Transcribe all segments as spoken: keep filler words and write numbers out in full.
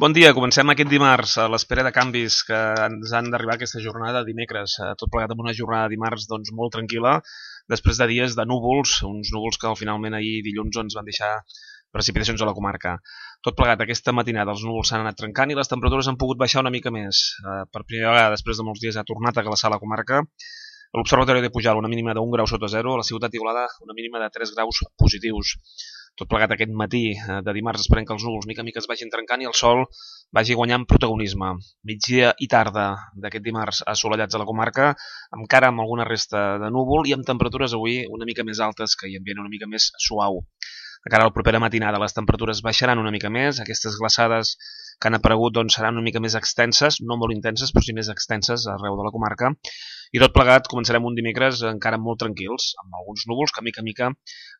Bon dia, comencem aquest dimarts a l'espera de canvis que ens han d'arribar aquesta jornada dimecres. Eh, Tot plegat amb una jornada de dimarts doncs, molt tranquil·la, després de dies de núvols, uns núvols que finalment ahir dilluns ens van deixar precipitacions a la comarca. Tot plegat aquesta matinada els núvols s'han anat trencant i les temperatures han pogut baixar una mica més. Eh, Per primera vegada després de molts dies ha tornat a glaçar la comarca. A l'Observatori de Pujalt una mínima d'un grau sota zero, a la ciutat d'Igualada una mínima de tres graus positius. Tot plegat aquest matí eh, de dimarts esperem que els núvols mica en mica es vagin trencant i el sol vagi guanyant protagonisme. Migdia i tarda d'aquest dimarts assolellats a la comarca, encara amb alguna resta de núvol i amb temperatures avui una mica més altes que hi ambient una mica més suau. De cara a la propera matinada les temperatures baixaran una mica més, aquestes glaçades que han aparegut doncs, seran una mica més extenses, no molt intenses, però sí més extenses arreu de la comarca. I tot plegat començarem un dimecres encara molt tranquils, amb alguns núvols que mica en mica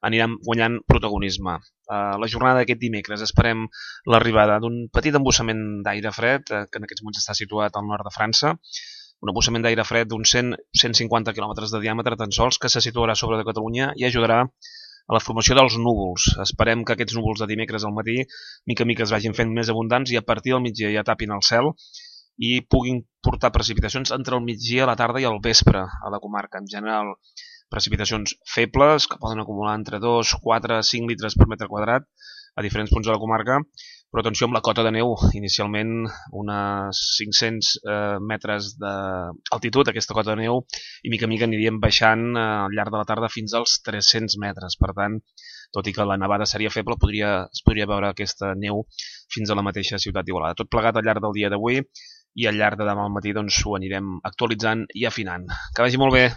aniran guanyant protagonisme. Uh, la jornada d'aquest dimecres esperem l'arribada d'un petit embussament d'aire fred, eh, que en aquests moments està situat al nord de França, un embussament d'aire fred d'uns cent a cent cinquanta quilòmetres de diàmetre tan sols, que se situarà sobre de Catalunya i ajudarà a la formació dels núvols. Esperem que aquests núvols de dimecres al matí mica en mica es vagin fent més abundants i a partir del migdia ja tapin el cel i puguin portar precipitacions entre el migdia, la tarda i el vespre a la comarca. En general, precipitacions febles que poden acumular entre dos, quatre, cinc litres per metre quadrat a diferents punts de la comarca, però atenció amb la cota de neu, inicialment unes cinc-cents eh, metres d'altitud, aquesta cota de neu, i mica en mica aniríem baixant eh, al llarg de la tarda fins als tres-cents metres. Per tant, tot i que la nevada seria feble, podria, es podria veure aquesta neu fins a la mateixa ciutat d'Igualada. Tot plegat al llarg del dia d'avui i al llarg de demà al matí doncs, ho anirem actualitzant i afinant. Que vagi molt bé!